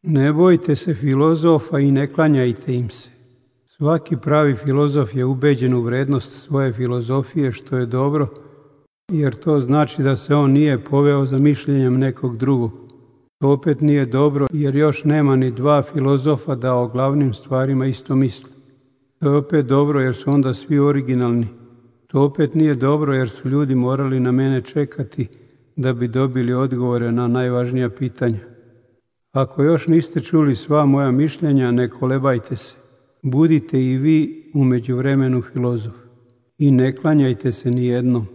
Ne bojte se filozofa i ne klanjajte im se. Svaki pravi filozof je ubeđen u vrednost svoje filozofije, što je dobro, jer to znači da se on nije poveo za mišljenjem nekog drugog. To opet nije dobro, jer još nema ni dva filozofa da o glavnim stvarima isto misle. To je opet dobro, jer su onda svi originalni. To opet nije dobro, jer su ljudi morali na mene čekati da bi dobili odgovore na najvažnija pitanja. Ako još niste čuli sva moja mišljenja, ne kolebajte se. Budite i vi u međuvremenu filozof i ne klanjajte se ni jednom.